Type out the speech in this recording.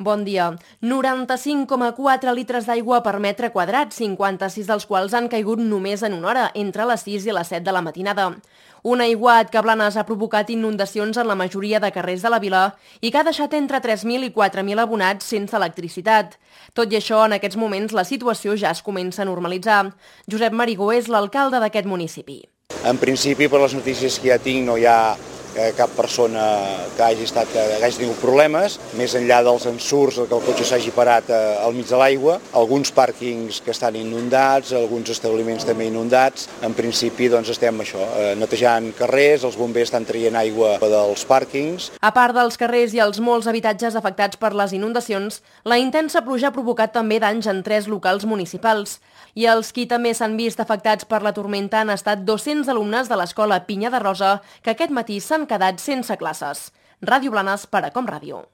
Bon dia. 95,4 litres d'aigua per metre quadrat, 56 dels quals han caigut només en una hora, entre les 6 i les 7 de la matinada. Un aiguat que a Blanes ha provocat inundacions en la majoria de carrers de la vila i que ha deixat entre 3.000 i 4.000 abonats sense electricitat. Tot i això, en aquests moments la situació ja es comença a normalitzar. Josep Marigó és l'alcalde d'aquest municipi. En principi, per les notícies que ja tinc, no hi ha cap persona que hagi tingut problemes, més enllà dels ensurts que el cotxe s'hagi parat al mig de l'aigua, alguns pàrquings que estan inundats, alguns establiments també inundats. En principi estem netejant carrers, els bombers estan traient aigua dels pàrquings. A part dels carrers i els molts habitatges afectats per les inundacions, la intensa pluja ha provocat també danys en 3 locals municipals. I els qui també s'han vist afectats per la tormenta han estat 200 alumnes de l'escola Pinya de Rosa, que aquest matí s'han quedat sense classes. Ràdio Blanes per a Com Ràdio.